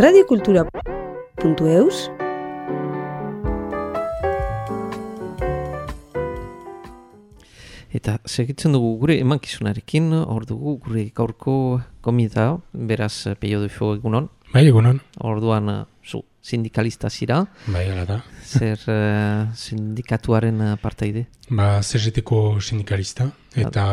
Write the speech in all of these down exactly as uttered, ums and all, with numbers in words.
radiokultura puntu eus Eta segitzen dugu gure emankizunarekin, hor dugu gure gaurko komita, beraz Peio Dufo egunon. Bai, egunon. Orduan, zu, sindikalista zira. Bai, ala da. Zer uh, sindikatuaren parteide? Ba, C G T-ko sindikalista, eta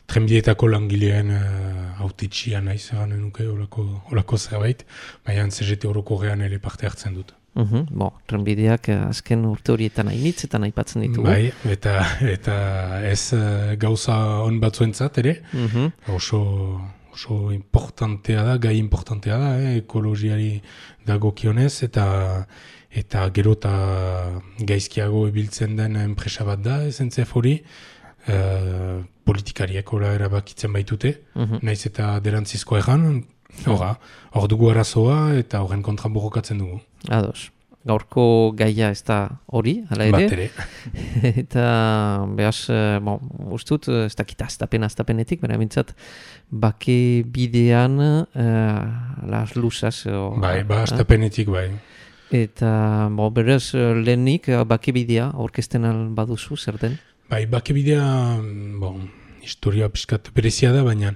trenbideetako langileen uh, autetxia naiz, gane nuke, olako, olako zerbait, baina C G T orokorrean ere parte hartzen dut. Uhum, bon, trenbideak azken urte horietan hainitz eta aipatzen ditugu. Bai, eta, eta ez uh, gauza on batzuentzat ere, Uhum. oso, oso importantea da, gai importantea da, eh, ekologiari dagokionez, eta eta gero eta gaizkiago ebiltzen den enpresa bat da, S N C F hori, uh, politikariek ora erabakitzen baitute, Uhum. naiz eta derantzizko erran, Hora, hor dugu arazoa eta horren kontra borrokatzen dugu. Ados. Gaurko gaia ez da hori, hala ere. Bat ere. Eta behaz, bon, ustut, ez dakita aztapen aztapenetik, bera mintzat, bake bidean uh, las lusas. O, Bai, ba, aztapenetik bai. Eta, bo, beraz, lehenik bake bidea orkesten baduzu, zer den? Bai, bake bidea, bon, historia pixkat berezia da, baina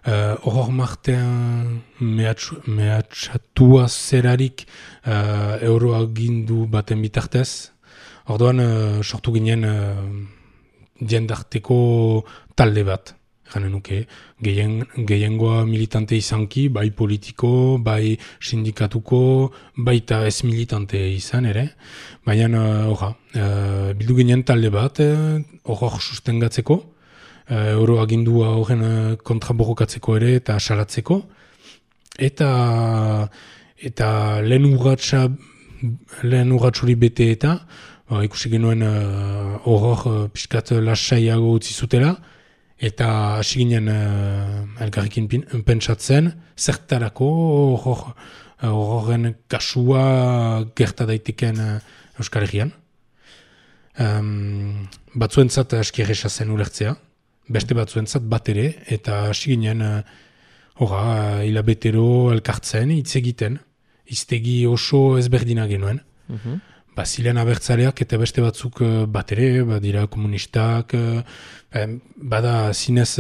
hor uh, martean mehatxatua zerarik uh, euroagindu baten bitartez. Orduan uh, sortu ginen uh, diendarteko talde bat, gane nuke, gehien, gehiengoa militante izanki, bai politiko, bai sindikatuko, baita ez militante izan ere. Baina, horra, uh, uh, bildu ginen talde bat, hor uh, sustengatzeko, Uh, euroagindua horren uh, kontra borrokatzeko ere eta salatzeko. Eta, eta lehen urratxa, lehen urratxuri bete eta, uh, ikusi genuen horror uh, uh, pixkat lasaiago utzi zutela, eta hasi ginen uh, elkarrekin pentsatzen, zertarako horren uh, kasua gerta daiteken uh, Euskal Herrian. Um, batzuentzat aski erresa zen ulertzea, beste batzuentzat bat ere, eta hasi ginen, horra, hilabetero elkartzen, hitz egiten, hiztegi oso ezberdina genuen. Mhm. Ba, zilean abertzaleak eta beste batzuk bat ere, badira komunistak, bada zinez,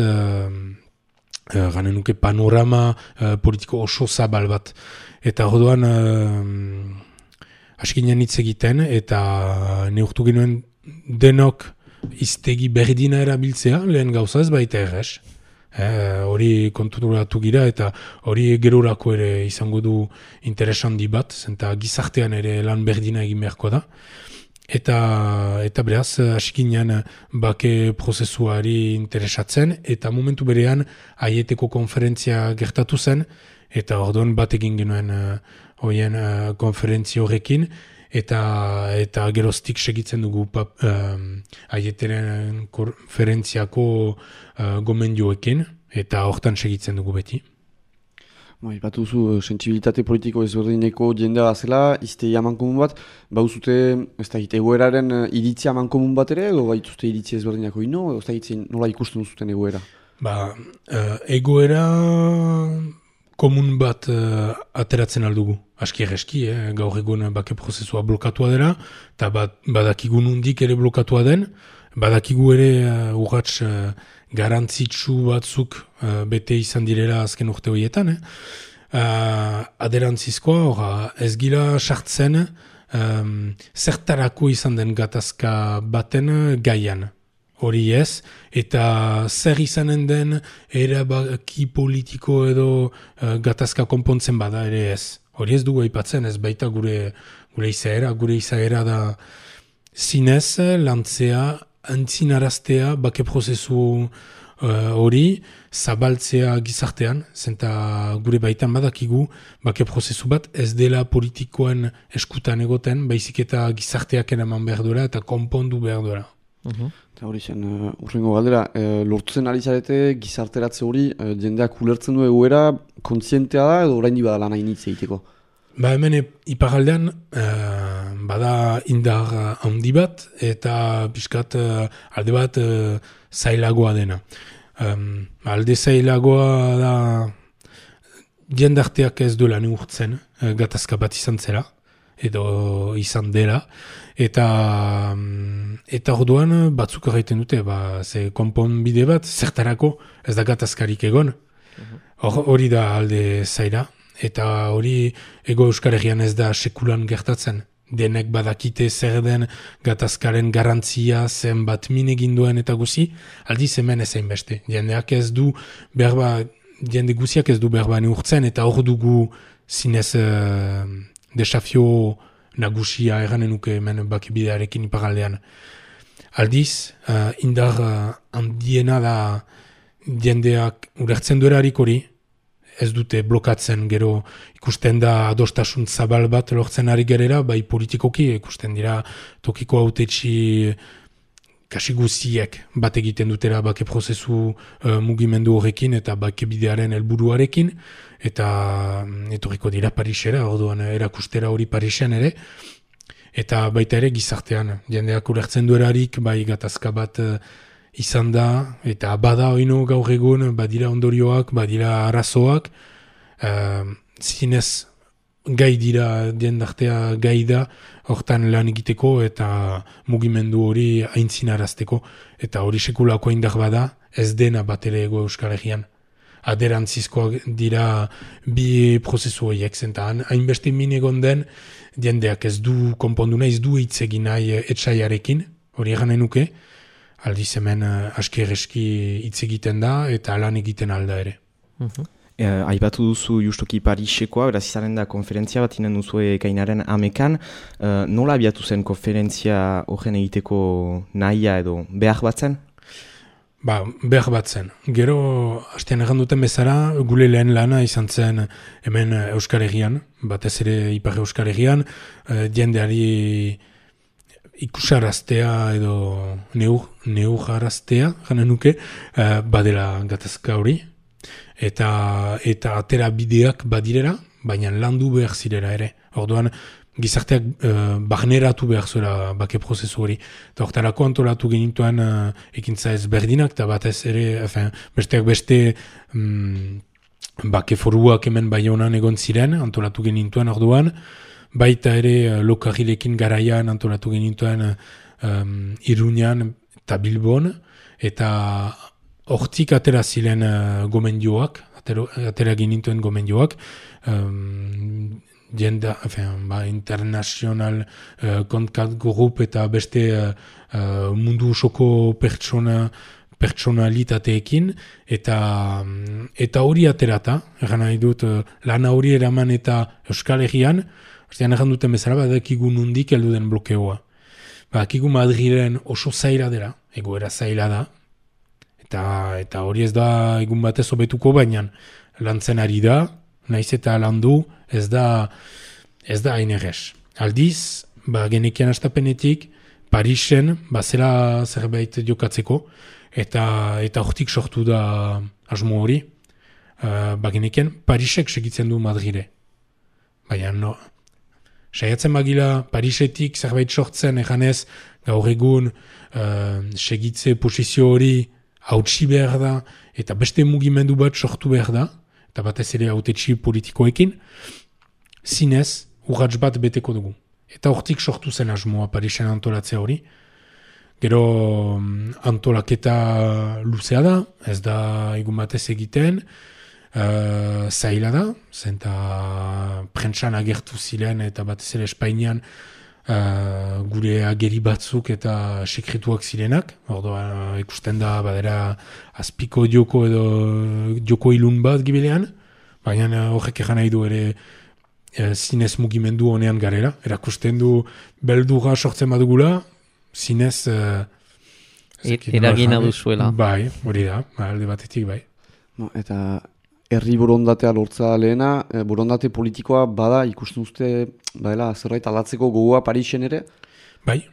gane nuke panorama politiko oso zabal bat. Eta orduan, hasi ginen hitz egiten, eta neurtu genuen denok, iztegi berdina erabiltzea, lehen gauza ez baita errez. Hori eh, konturatu gira eta hori gerorako ere izango du interesandi bat, zenta gizartean ere lan berdina egin beharko da. Eta, eta beraz, hasikinean bake prozesuari interesatzen, eta momentu berean aieteko konferentzia gertatu zen, eta orduan bat egin genuen horien uh, uh, konferentzia horrekin, Eta, eta geroztik segitzen dugu pap, um, aieteren konferentziako uh, gomendioekin, eta hortan segitzen dugu beti. Bai, bat duzu, sentsibilitate politiko ezberdineko jendea zela, izte amankomun bat, bauzute, ez da hit, egoeraren iritzi amankomun bat ere, edo baituzte iritzi ezberdinako ino, edo ez da hit, nola ikusten duzuten egoera? Ba, uh, egoera komun bat uh, ateratzen aldugu. Aski erreski, eh? Gaur egun bake prozesua blokatua dela, eta badakigu nundik ere blokatua den, badakigu ere uh, urratx uh, garantzitsu batzuk uh, bete izan direla azken urte horietan. Eh? Uh, aderantzizkoa, orra, ez gila sartzen um, zertarako izan den gatazka baten gaian. Hori ez, eta zer izanen den erabaki politiko edo uh, gatazka konpontzen bada ere ez. Hori ez dugu aipatzen, ez baita gure, gure izaera, gure izaera da zinez, lantzea, antzinaraztea, bake prozesu hori, uh, zabaltzea gizartean, zenta gure baitan badakigu, bake prozesu bat ez dela politikoen eskutan egoten, baizik eta gizarteak eraman behar duela eta konpondu behar duela. Uh-huh. Eta hori zen, uh, urrengo galdera, uh, lortzen ari zarete gizarteratze hori, uh, jendeak ulertzen du egoera, kontzientea da edo orain di bada lan hainitz egiteko? Ba hemen iparaldean uh, bada indar handi bat eta pixkat uh, alde bat uh, zailagoa dena. Um, alde zailagoa da jendarteak ez duela neurtzen uh, gatazka bat izan zela, edo izan dela, eta eta orduan batzuk egiten dute, ba, ze konponbide bat, zertarako ez da gatazkarik egon, hor, hori da alde zaira, eta hori ego Euskal Herrian ez da sekulan gertatzen. Denek badakite zer den gatazkaren garantzia zenbat min egin duen eta guzi, aldiz hemen ezein beste. Jendeak ez du berba, jende guziak ez du berba neurtzen, eta hor dugu zinez uh, desafio nagusia eranen nuke hemen bakibidearekin iparaldean. Aldiz, uh, indar uh, handiena da jendeak ulertzen duerarik hori, ez dute blokatzen, gero ikusten da adostasun zabal bat lortzen ari gerera, bai politikoki ikusten dira tokiko hautetsi kasi guziek bat egiten dutera bake prozesu uh, mugimendu horrekin eta bake bidearen helburuarekin, eta etorriko dira Parisera, orduan erakustera hori Parisen ere, eta baita ere gizartean, jendeak ulertzen duerarik, bai gatazka bat uh, izan da, eta bada oino gaur egun, badira ondorioak, badira arazoak, uh, zinez gai dira, jendartea gai da, hortan lan egiteko eta mugimendu hori aintzinarazteko, eta hori sekulako indar bada, ez dena bat ere ego Euskal Herrian. Aderantzizkoak dira bi prozesu horiek, zentan hainbeste min egon den, jendeak ez du konpondu nahi, ez du hitz egin nahi etsaiarekin, hori eganen nuke, aldiz hemen uh, aski erreski hitz egiten da eta lan egiten alda ere. Uh-huh. E, aipatu duzu justuki Parisekoa, beraz izaren da konferentzia bat inen duzu ekainaren amekan. Uh, nola abiatu zen konferentzia horren egiteko nahia edo behar bat zen? Ba, behar bat zen. Gero, hastean egan duten bezala, gule lehen lana izan zen hemen Euskal Herrian, batez ere Ipar Euskal Herrian, uh, jendeari ikusaraztea edo neur, neujaraztea, jana nuke, uh, badela gatazka hori, eta eta atera bideak badirera, baina landu behar zirera ere. Orduan, gizarteak uh, barneratu behar zuela bake prozesu hori. Eta hortarako antolatu genituen uh, ekintza ezberdinak, eta batez ere, enfin, besteak beste um, bake foruak hemen Baionan egon ziren, antolatu genituen orduan, baita ere Lokarrilekin garaian antolatu genituen um, Iruñan eta Bilbon, eta hortik atera ziren uh, gomendioak, atera, atera genituen gomendioak, um, jenda, enfin, ba, international uh, kontat grup eta beste uh, uh, mundu osoko pertsona pertsonalitateekin, eta eta hori aterata, egan nahi dut, uh, lana hori eraman eta Euskal Herrian, Ostean egan duten bezala, badakigu nundik heldu den blokeoa. Badakigu Madrilen oso zaila dela, egoera zaila da, eta eta hori ez da egun batez hobetuko, baina lantzen ari da, naiz eta landu, ez da ez da hain errez. Aldiz, ba, genekian astapenetik, Parisen, bazela zerbait jokatzeko, eta eta hortik sortu da asmo hori, uh, ba, genekian Parisek segitzen du Madrile. Baina, no, saiatzen bagila Parisetik zerbait sortzen eganez gaur egun uh, segitze posizio hori hautsi behar da eta beste mugimendu bat sortu behar da, eta batez ere hautetsi politikoekin, zinez urrats bat beteko dugu. Eta hortik sortu zen asmoa Parisen antolatzea hori. Gero antolaketa luzea da, ez da egun batez egiten, Uh, zaila da, zenta prentsan agertu ziren eta batez ere Espainian uh, gure ageri batzuk eta sekretuak zirenak, orduan ikusten da badera azpiko joko edo joko ilun bat gibilean, baina horrek egan nahi du ere uh, zinez mugimendu honean garela, erakusten du beldurra sortzen badugula, zinez uh, eragina duzuela. Bai, hori da, alde batetik bai. No, eta herri borondatea lortza lehena, e, borondate politikoa bada ikusten uste badela zerbait aldatzeko gogoa Parisen ere? Bai,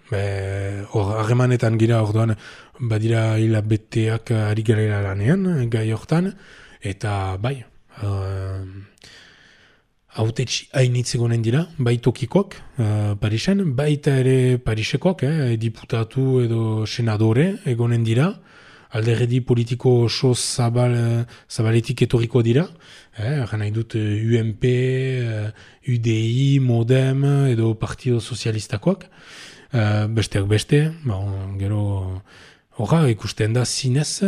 hor harremanetan gira orduan badira hilabeteak ari garela lanean gai hortan, eta bai, uh, hautetsi hainitz egonen dira, bai tokikoak uh, Parisen, baita ere Parisekoak, eh, diputatu edo senadore egonen dira, alderdi politiko oso zabal, zabaletik etorriko dira, eh, nahi dut U M P, U D I, Modem edo Partido Sozialistakoak, uh, besteak beste, ba, gero horra ikusten da zinez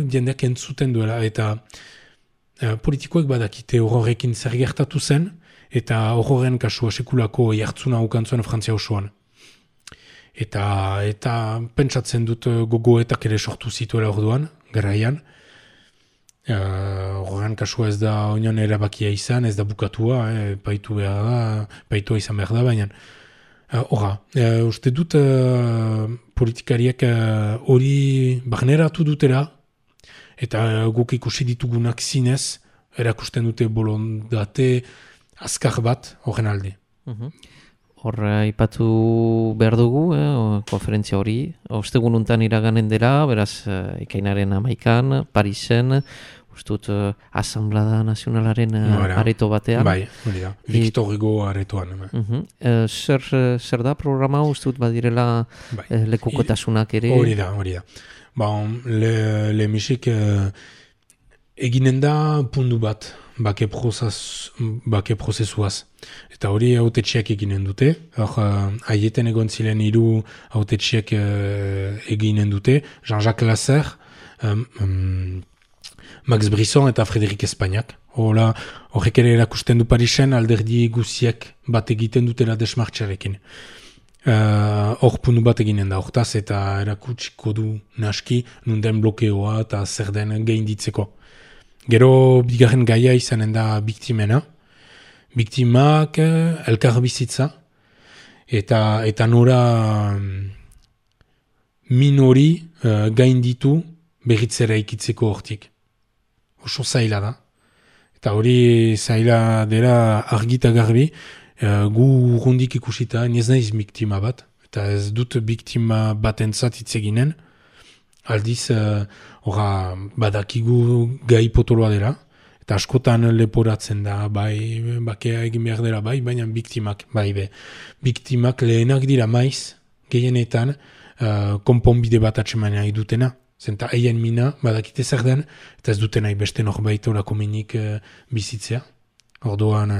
jendeak entzuten duela, eta uh, politikoek badakite horrekin zer gertatu zen, eta horren kasua sekulako jartzuna ukantzuen Frantzia osoan. Eta, eta pentsatzen dut gogoetak ere sortu zituela orduan, garaian. Horren uh, kasua ez da oinan erabakia izan, ez da bukatua, eh, paitu behar da, paitua izan behar da, baina horra, uh, uh, uste dut uh, politikariak hori uh, barneratu dutela, eta uh, guk ikusi ditugunak zinez, erakusten dute bolondate azkar bat horren alde. Uh-huh. Hor, ipatu behar dugu, eh, konferentzia hori. Ostegun untan iraganen dela, beraz, eh, ikainaren amaikan, Parisen, ustut, eh, Asamblada Nazionalaren eh, areto batean. Bai, hori da, Victor Hugo aretoan. Uh-huh. eh, zer, zer da programa, ustut badirela bai. eh, lekukotasunak ere? Hori da, hori da. Ba, le, le misik eh, eginen da pundu bat, bake, prozas, bake prozesuaz. Eta hori autetxeak eginen dute. Hor, haieten egon ziren hiru autetxeak uh, eginen dute. Jean-Jacques Lasser, um, um, Max Brisson eta Frédéric Espagnac. Horrek ere erakusten du Parisen alderdi guziek bat egiten dutela desmartxarekin. Hor uh, puntu bat eginen da hortaz eta erakutsiko du naski nunden blokeoa eta zer den gainditzeko. Gero bigarren gaia izanen da biktimena. Biktimak, elkar bizitza, eta, eta nora minori uh, gainditu berritzera ikitzeko hortik. Oso zaila da. Eta hori zaila dela argita garbi, uh, gu urrundik ikusita, ez naiz biktima bat, eta ez dut biktima batentzat hitz eginen, aldiz, horra uh, badakigu gai potoloa dela, eta askotan leporatzen da, bai, bakea egin behar dela, bai, baina biktimak, bai, be. Biktimak lehenak dira maiz, gehienetan, uh, konponbide bat atseman nahi dutena. Zenta eien mina, badakite zer den, eta ez duten nahi beste norbait orako minik uh, bizitzea. Orduan,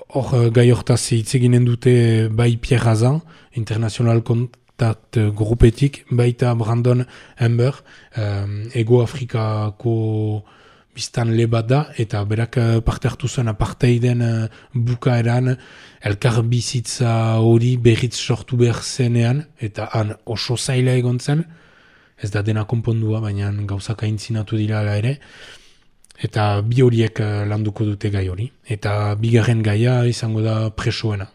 hor uh, gai hortaz hitz eginen dute bai Pierre Hazan, International Contact Grupetik, baita Brandon Amber, um, Ego Afrikako biztan le bat da, eta berak parte hartu zen apartheiden uh, bukaeran elkar bizitza hori berriz sortu behar zenean, eta han oso zaila egon zen, ez da dena konpondua, baina gauzak aintzinatu dira ala ere, eta bi horiek uh, landuko dute gai hori. Eta bigarren gaia izango da presoena.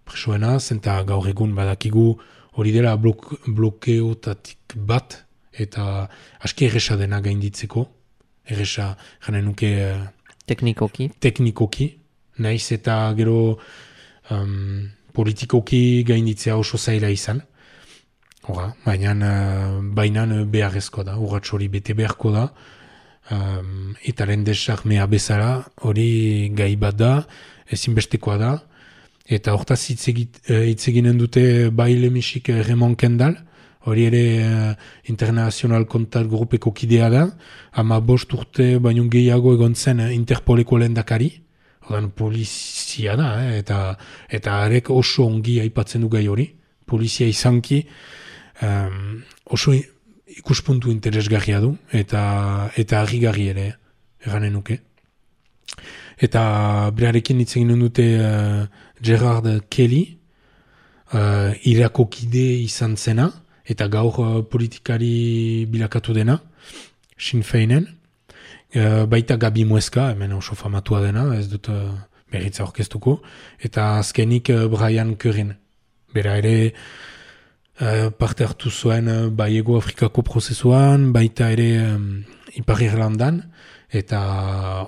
Presoena, zenta gaur egun badakigu hori dela blok, blokeotatik bat, eta aski erresa dena gainditzeko, erresa, jane nuke... Uh, teknikoki. Teknikoki. Naiz eta gero um, politikoki gainditzea oso zaila izan. Hora, baina uh, bainan beharrezko da, urratx hori bete beharko da. Um, eta lehen desarmea bezala, hori gai bat da, ezinbestekoa da. Eta hortaz hitz eginen dute bai lemisik Raymond Kendall, hori ere uh, International Contact Grupeko kidea da, ama bost urte baino gehiago egon zen Interpoleko lehendakari, ordan polizia da, eh, eta eta arek oso ongi aipatzen du gai hori, polizia izanki um, oso ikuspuntu interesgarria du, eta eta harrigarri ere, erranen nuke. Eta berarekin hitz egin dute uh, Gerard Kelly, uh, Irako kide izan zena, eta gaur uh, politikari bilakatu dena, Sinn Feinen, uh, baita Gabi Mueska, hemen oso famatua dena, ez dut uh, berritza orkestuko, eta azkenik uh, Brian Currin. Bera ere uh, parte hartu zuen uh, bai Ego Afrikako prozesuan, baita ere um, Ipar Irlandan, eta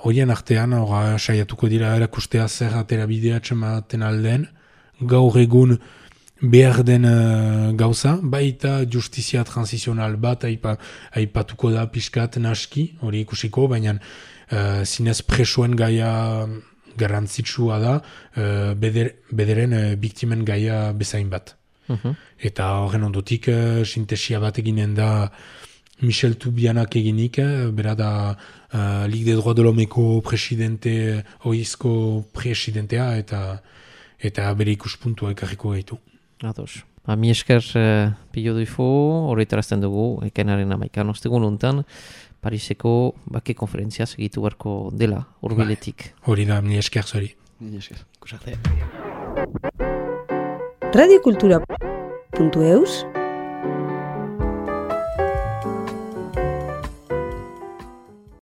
horien artean ora, saiatuko dira erakustea zer atera bidea txematen alden, gaur egun behar den uh, gauza, baita justizia transizional bat aipa, aipatuko da pixkat naski, hori ikusiko, baina uh, zinez presoen gaia garrantzitsua da, uh, beder, bederen uh, biktimen gaia bezain bat. Uh-huh. Eta horren ondotik uh, sintesia bat eginen da Michel Toubianak eginik, eh, bera da uh, Ligue des Droits de l'Hommeko presidente, oizko presidentea, eta eta bere ikuspuntua ekarriko gaitu. Ados. Ba, mi esker uh, pilo duifo, horretarazten dugu, ekainaren amaikan ostegun untan, Pariseko bake konferentzia segitu beharko dela, urbiletik. Hori da, mi esker zori. Mi esker. Kusarte. radiokultura puntu eus